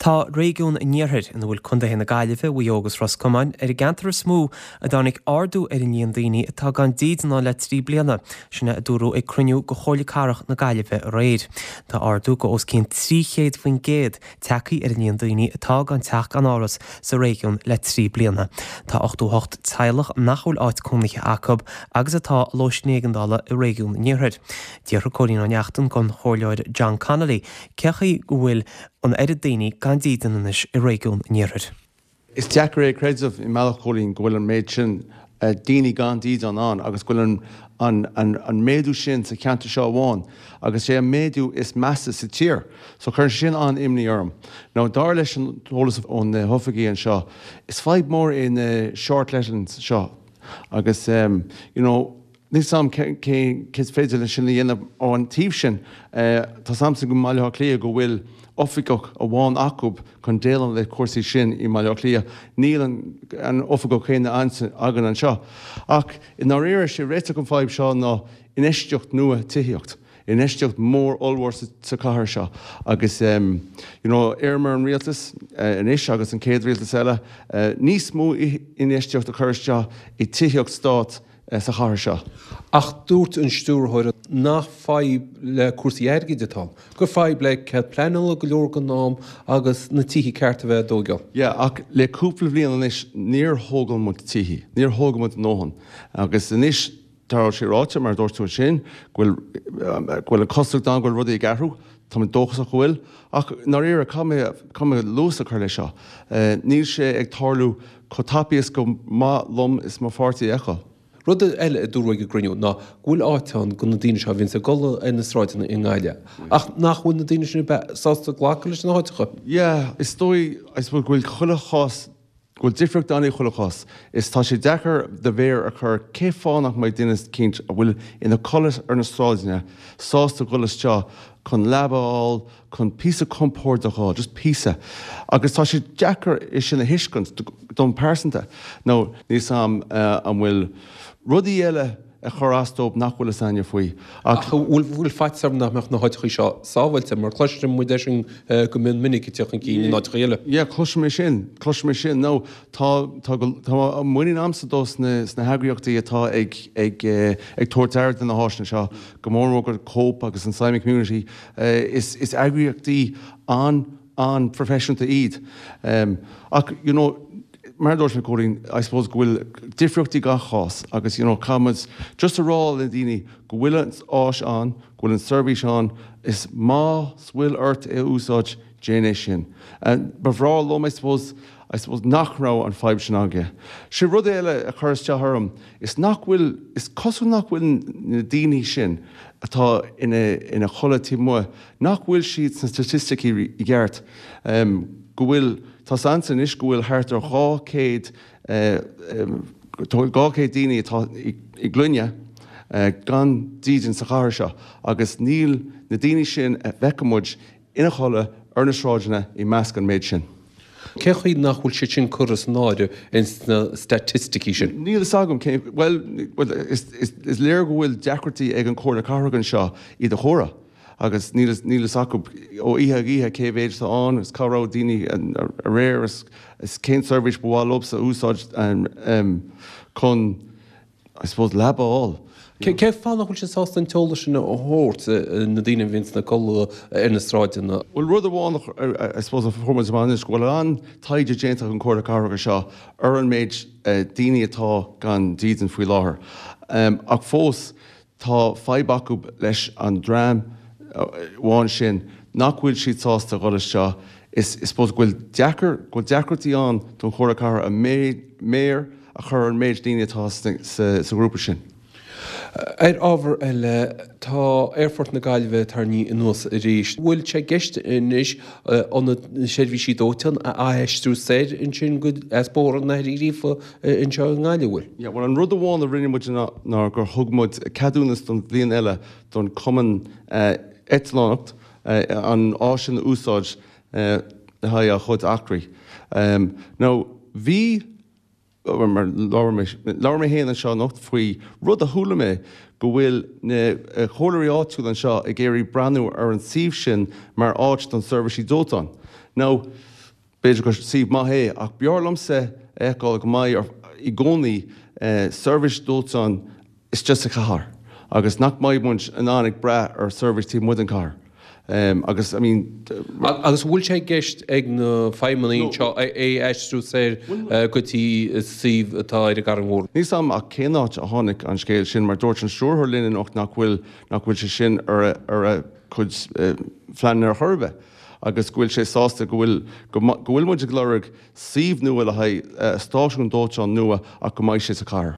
Tá réigiún an Iarthair, ina bhfuil contaetha na Gaillimhe, Mhaigh Eo agus Ros Comáin, ar an gceantar is mó a dtáinig ardú ar an líon daoine atá gan dídean ann le 3 bliana, sin é a dúradh ag cruinniú de Chomhairle Cathrach na Gaillimhe aréir. Tá ardú de os cionn 300% tagtha ar an líon daoine atá gan teach gan áras sa réigiún le 3 bliana. Tá 88 teaghlach nach bhfuil áit cónaithe acu agus atá i lóistín éigeandála i réigiún an Iarthair. D'fhiafraigh Cóilín Ó Neachtain den Chomhairleoir John Connolly cé chaoi go bhfuil an oiread daoine gan dídean anois i réigiún an Iarthair. Is deacair é a chreideamh i mbealach, Cóilín, go bhfuil an méid sin daoine gan dídean ann agus go bhfuil an méadú sin sa cheantar seo amháin agus sé an méadú is measa sa tír. So cuireann sé sin an-imní orm. Now dar leis an eolas ó na hoifigí anseo, is fadhb mór é na short lettings seo agus you know, Níl 's a'm cé is féidir leis sin a dhéanamh ó an taobh sin. Tá 's a'msa i mBaile Átha Cliath go bhfuil oifigeach amháin acu chun déileáil le cúrsaí sin i mBaile Átha Cliath. Níl an oifigeach céanna againn anseo. Ach i ndáiríre, sé réiteach an fadhb seo ná infheistíocht nua tithíocht. Infheistíocht mór ollmhór sa chathair seo agus you know iarraim ar an rialtas anois agus an chéad rialtas eile níos mó infheistíocht a chur isteach i tithíocht stáit sa chathair seo. Ach dúirt an stiúrthóir nach fadhb le cúrsaí airgid atá ann, gur fadhb le cead pleanála go leor den am agus na tithe cearta a bheith á dtóigeáil. Yeah, ach le cúpla bliain anois níor thógáil muid tithe, níor thóg muid a ndóthain. Agus anois tá sé ráite, mar a dúirt tú ansin, go bhfuil, go bhfuil an chosúlacht ann go bhfuil rudaí ag athrú. Tá mé dóchasach go bhfuil. Ach i ndáiríre, caithfidh mé, caithfidh mé luas a chur leis seo. Níl sé ag tarlú chomh tapaidh is go mba mhaith liom is mo pháirtí a fheiceáil. Rud eile a dúradh ag an gcruinniú ná go bhfuil áit ann do na daoine seo a bhíonns ag codladh ar na sráideanna i nGaillimh ach nach bhfuil na daoine sin ar bith sásta glacadh leis na háiteacha. Yeah, is dóigh, I suppose, go bhfuil chuile chás, go bhfuil difríocht ann i chuile chás. Is tá sé deacair do mhéar a chur cé fáth nach mbeidh duine eicínt a bhfuil ina codladh ar na sráideanna sásta dhul isteach chun leaba a fháil, chun píosa compordach a fháil, just píosa. Agus tá sé deacair é sin a thuiscint dom pearsanta. Nó níl 's a'm an bhfuil rudaí eile ag cur as dóibh nach bhfuil 'fhios a'inne faoi. Ach bhfuil faitíos orthu nach mbeadh na háiteachaí seo sábháilte, mar cloiseann muid é sin go mion minic ag teacht chun cinn in áiteachaí eile. Yeah, cloisim é sin, cloisim é sin. Nó tá, tá, tá muinín a'msa dos na, sna heagraíochtaí atá ag, ag, ag tabhairt aire do na háiseanna seo, go mór mór go Cope agus an Simon Community, Is eagraíochtaí an-an-phroifisiúnta iad. Ach, you know, mar a dúirt mé, Cóilín, I suppose go bhfuil difríochtaí gach cás agus, you know, caithfidh muid just a rá le daoine go bhfuil an áis ann, go bhfuil an seirbhís ann, is más bhfuil ort é a úsáid, déan é sin. Ba bhreá liom, I suppose, I suppose nach raibh an fadhb sin againn. Sé rud eile a chuir isteach orm, is nach bhfuil, is cosúil nach bhfuil na daoine sin atá ina ina chodladh taobh amuigh, nach bhfuil siad sna staitisticí i gceart, go bhfuil, tá 's a'msa anois go bhfuil thart ar 200, 200 daoine atá i gclainne gan dídean sa chathair seo agus níl na daoine sin a bhfeiceann muid ina chodladh ar na sráideanna i measc an méid sin. Cén chaoi nach bhfuil siad sin curtha san áireamh ins na staitisticí sin? Níl fhios agam cén, bhuel, is, is, is léir go bhfuil deacrachtaí ag an Chomhairle Cathrach anseo iad a chomhaireamh agus níl, níl fhios acu ó oíche go oíche cé mhéid atá ann agus cá raibh daoine aréir is, is cén seirbhís ba mhaith leobsa a úsáid chun I suppose leaba a fháil. Cén fáth nach bhfuil siad sásta an t-eolas sin a thabhairt, na daoine a bhíonn ina gcodladh ar na sráideanna? Bhuel, rud amháin I suppose a fuair muid amach anois go bhfuil an-taighde déanta ag an Chomhairle Cathrach anseo ar an méid daoine atá gan dídean faoi láthair. Ach fós tá fadhb acu leis an dream amháin sin nach bhfuil siad sásta dhul isteach. Is I suppose go bhfuil deacair, go bhfuil deacrachtaí ann don Chomhairle Cathrach a méar a chur ar an méid daoine atá sa ghrúpa sin. Ar ábhar eile, tá Aerfort na Gaillimhe tarraingthe anuas arís. Bhfuil sé i gceist anois ionad na seirbhísí dóiteáin a aistriú soir ansin go as Bóthar an Athar Uí Ghríofa anseo i nGaillimh, bhfuil? Yeah, bhuel an rud amháin a rinne muid ná gur thug muid ceadúnas don bhliain eile don Chumann Eitleánach an áis sin a úsáid le haghaidh a chuid eachtraí. Now bhí Mar labhair mé, labhair mé féin anseo anocht faoi rud a chuala mé, go bhfuil na comhairleoirí áitiúla anseo ag iarraidh breathnú ar an suíomh sin mar áit don seirbhísí dóiteáin. Now. B'fhéidir gur suíomh maith é, ach b'fhearr liomsa a fheiceáil go mbeidh i gcónaí seirbhís dóiteáin istigh sa chathair agus nach mbeidh muid in ann ag brath ar seirbhís taobh amuigh den chathair. Agus, I mean. Agus an bhfuil sé i gceist ag na feidhmeannaigh anseo é a aistriú soir go dtí suíomh atá ar an gCarraig Mhór? Níl 's a'm ach cén áit a tháinig an scéal sin mar dúirt an stiúrthóir linn anocht nach bhfuil, nach bhfuil sé sin ar a, ar a chuid phleananna ar chor ar bith. agus go bhfuil sé sásta go bhfuil go bhfuil muid ag lorg suíomh nua le haghaidh stáisiún dóiteáin nua ach go mbeidh sé sa chathair.